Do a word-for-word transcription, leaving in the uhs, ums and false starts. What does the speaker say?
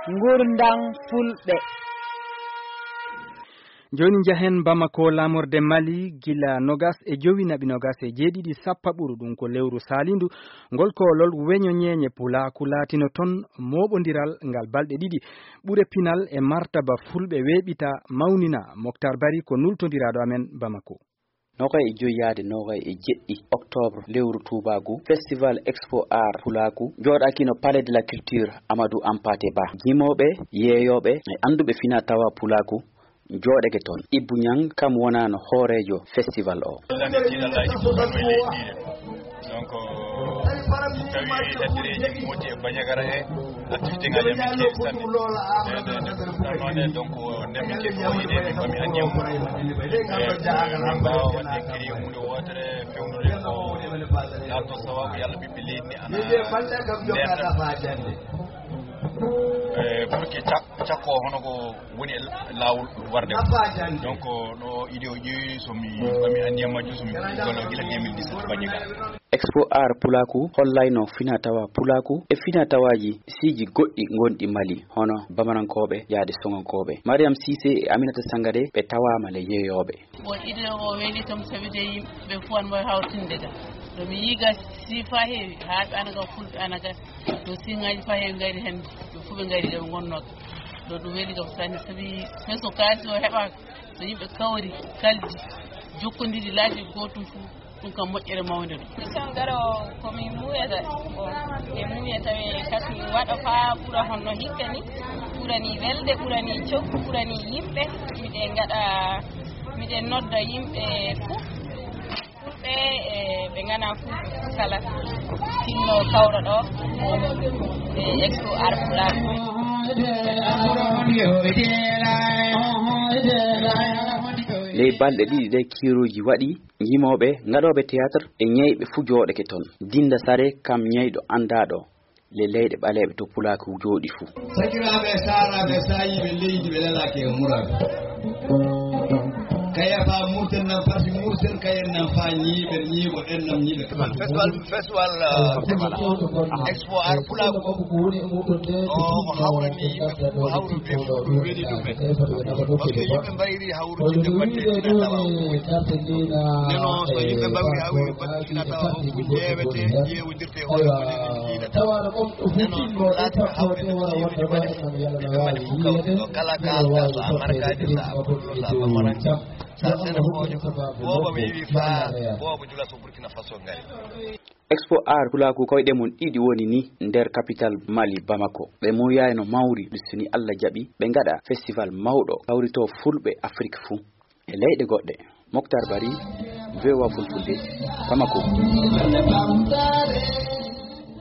Ngurndan Fulɓe. Jooni njahen Bamako, laamorde Mali, gila nogas e jowi naɓi nogas e jeeɗiɗi sappaɓuru, ɗum ko lewru saalindu, ngol koolol weño ñeeñe pulaaku laatino toon mooɓondiral ngal balɗe ɗiɗi. Ɓure pinal e martaba Fulɓe weeɓita, mawnina. Moktar Bari ko nultondiraaɗo amen Bamako. Noogay e joyi yaade noogay e jeɗɗi oktoobre lewru tuubaaku, Festival Expo Art Pulaaku jooɗaakino Palais de la Culture Amadou Hampâté Bâ. Yimooɓe, yeeyooɓe e annduɓe fina tawa pulaaku jooɗake toon. Ibbu Ñang kam wonaano hooreejo festival o. Lannditiiɗo Alaaji Bukar Noy Leydi. Donc, tawi laddereeji mooti e Bandiagara he, activité ngaji amen keewi sanne. Nden, nden, nden, ɗum noon ne, donc, nden min keewi ko wayde, min mbami anniya mum. Eh, min mbaawa waɗde créé huunde wootere, fewnude ko laato sawabu Yalla ɓiɓɓe leydi ndi ana ndeerta. Eh, pour que cak-, cakko hono ko woni e laawol warde. Donc, ɗo idée o ƴeewi, so mi mbami anniya majjum, so mi golle gila deux mille dix-sept Bandiagara. Expo Art Pulaaku hollayno fina tawa Pulaaku e fina tawaaji siiji goɗɗi ngonɗi Mali, hono Bamarankooɓe yaade Soŋankooɓe. Mariam Cissé e Aminata Sangare ɓe tawaama le yeeyooɓe. Bon, idée o weeli kam, sabi de yimɓe fof ana mbawi hawtinde ga. Ɗo mi yii ga si fa heewi, haa ɓe ana ga, Fulɓe ana ga, to siŋaaji fa heewi ngari heen, ɓe fof ɓe ngari ɗo ɓe ngonnoo ga. Ɗo ɗum weeli kam sanne, sabi hay so kaalis o heɓaaka, so yimɓe kawri, kaldi, jokkondiri laabi gootum fof, ɗum kam moƴƴere mawnde ɗum. Mission garoowo ko min muuyata, bon, e muuya tawi kadi waɗa faa ɓura honno hikka ni, ɓurani welde, ɓurani coggu, ɓurani yimɓe. Miɗen ngaɗa, miɗen nodda yimɓe fof, Fulɓe e ɓe nganaa Fulɓe fof kala tinno kawra ɗo e Expo Art Pulaar. Ley balɗe ɗiɗi ɗe kiiruuji waɗi, yimooɓe, ngaɗooɓe théâtre e ñeyɓe fuu jooɗake toon. Dinda Sare kam ñeyɗo anndaaɗo le leyɗe ɓaleeɓe to Pulaaku jooɗi fuu. Sakiraaɓe e saaraaɓe e saayiiɓe leydi ɓe lelaaki e muraaɓe. Kaya faa murten nan farsi murten, kayen nan faa ñiiɓen ñiiɓo ɗen nan ñiiɓe. Festival, festival, uh, Expo Art Pulaaku. O ko hawrani yimɓe fof, hawrude fof ɗum weli ɗum en. Parce que yimɓe mbayri hawrude batte fina tawa o. Neno so yimɓe mbawri hawri batte fina tawa o, ko ƴeewete, ƴeewodirte e hoore ko enen jiiɗata. Neno ɗum laati ko hawrinde ko yimɓe mbaɗi fof. Yimɓe mbaɗi fof kawri ɗo. Kala ka, ka so a markaani, so a ɓurɗo, so a bamaranke, so a senefoojo, booba mi yiwi faa, booba jula so Burkina Faso ngari. Expo Art Pulaaku koyɗe mum ɗiɗi woni ni nder capital Mali, Bamako. Ɓe muuyayno mawri, so ni Allah jaɓi, ɓe ngaɗa festival mawɗo kawrito Fulɓe Afrik fuu e leyɗe goɗɗe. Moktar Bari, V O A Fulfulde, Bamako.